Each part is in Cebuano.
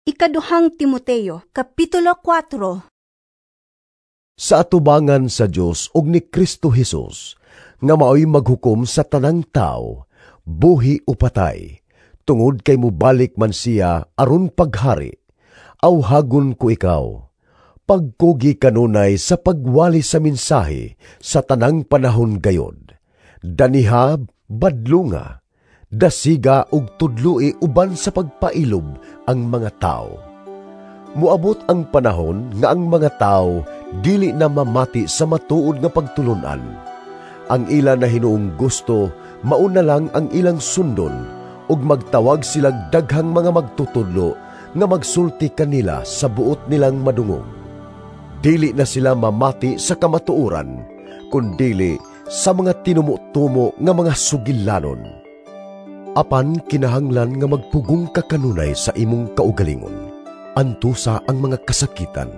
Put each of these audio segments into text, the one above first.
Ikaduhang Timoteo, Kapitulo 4. Sa atubangan sa Dios ug ni Kristo Hesus, nga maoy maghukom sa tanang tawo, buhi o patay, tungod kay mobalik man siya aron paghari, awhagon ko ikaw, pagkugi kanunay sa pagwali sa mensahe sa tanang panahon gayod. Daniha badlunga, dasiga ug tudloi uban sa pagpailob ang mga tawo. Moabot ang panahon nga ang mga tawo dili na mamati sa matuod nga pagtulon-an. Ang ila na hinuong gusto mauna lang ang ilang sundon ug magtawag silag daghang mga magtutudlo nga magsulti kanila sa buot nilang madungog. Dili na sila mamati sa kamatuoran, kundili sa mga tinumo-tumo nga mga sugilanon. Apan kinahanglan nga magpugong ka kanunay sa imong kaugalingon. Antusa ang mga kasakitan.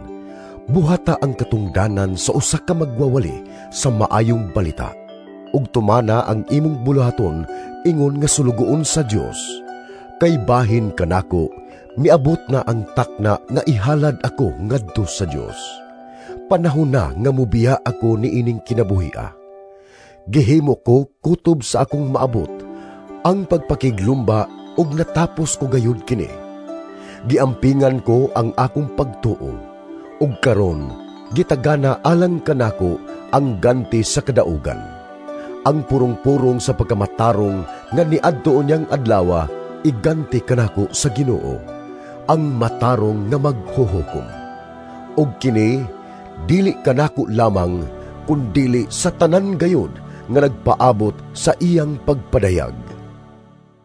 Buhata ang katungdanan sa usa ka magwawali sa maayong balita. Ug tumana ang imong buluhaton ingon nga sulugoon sa Dios. Kay bahin kanako, miabot na ang takna nga ihalad ako ngadto sa Dios. Panahon na nga mubiya ako niining kinabuhia. Gihimo ko kutob sa akong maabot ang pagpakiglumba ug natapos ko gayud kini. Giampingan ko ang akong pagtuo ug karon gitagana alang kanako ang ganti sa kadaugan. Ang purong-purong sa pagkamatarong nga niadto niyang adlawa iganti kanako sa Ginoo, ang matarong nga maghuhukom. Ug kini dili kanako lamang kundili sa tanan gayud nga nagpaabot sa iyang pagpadayag.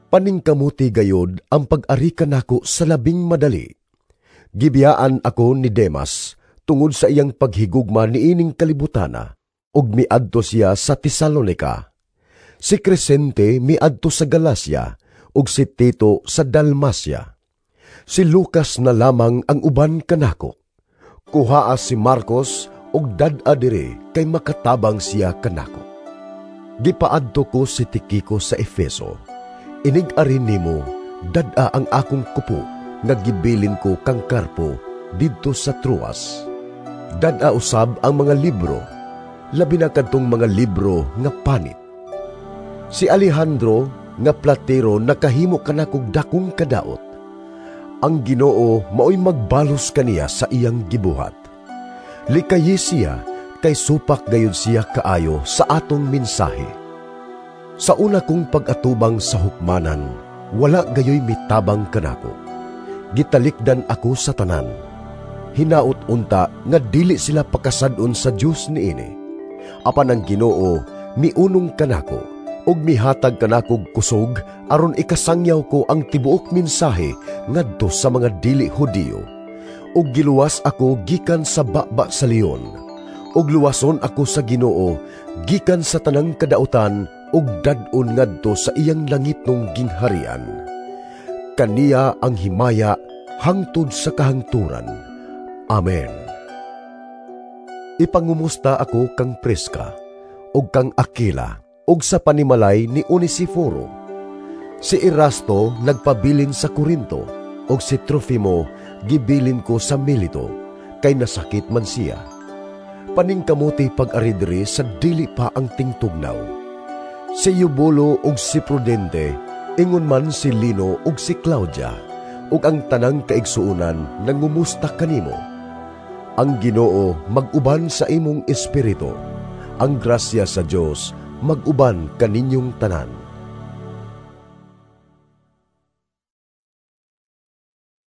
Paningkamuti gayod ang pag-ari kanako sa labing madali. Gibiyaan ako ni Demas tungod sa iyang paghigugma niining kalibutana, ug miadto siya sa Tesalonica. Si Crescente miadto sa Galacia, ug si Tito sa Dalmacia. Si Lucas na lamang ang uban kanako. Kuhaa si Marcos ug dad-a diri kay makatabang siya kanako. Gipaadto ko si Tikiko sa Efeso. Inig-ari nimo, dad-a ang akong kupo nga gibilin ko kang Carpo didto sa Troas. Dad-a usab ang mga libro, labi na kadtong mga libro nga panit. Si Alejandro nga platero nakahimo kanakog dakong kadaot. Ang Ginoo maoy magbalos kaniya sa iyang gibuhat. Likayi siya kay supak gayud siya kaayo sa atong mensahe. Sa una kong pag-atubang sa hukmanan, wala gayoy mitabang kanako. Gitalikdan ako sa tanan. Hinaot unta nga dili sila pakasad-on sa Dios niini. Apan ang Ginoo miunong kanako ug mihatag kanakog kusog aron ikasangyaw ko ang tibuok mensahe ngadto sa mga dili Hudiyo. Ug giluwas ako gikan sa baba sa leon. Ug luwason ako sa Ginoo gikan sa tanang kadautan ug dad-on ngadto sa iyang langitnong gingharian. Kaniya ang himaya hangtod sa kahangturan. Amen. Ipangumusta ako kang Prisca ug kang Aquila ug sa panimalay ni Onesiforo. Si Erasto nagpabilin sa Corinto ug si Trofimo gibilin ko sa Milito kay nasakit man siya. Paningkamuti pag-ari diri sa dili pa ang tingtugnaw. Si Eubulo ug si Prudente, ingon man si Lino ug si Claudia, ug ang tanang kaigsuonan nangumusta kanimo. Ang Ginoo mag-uban sa imong espiritu. Ang grasya sa Dios mag-uban kaninyong tanan.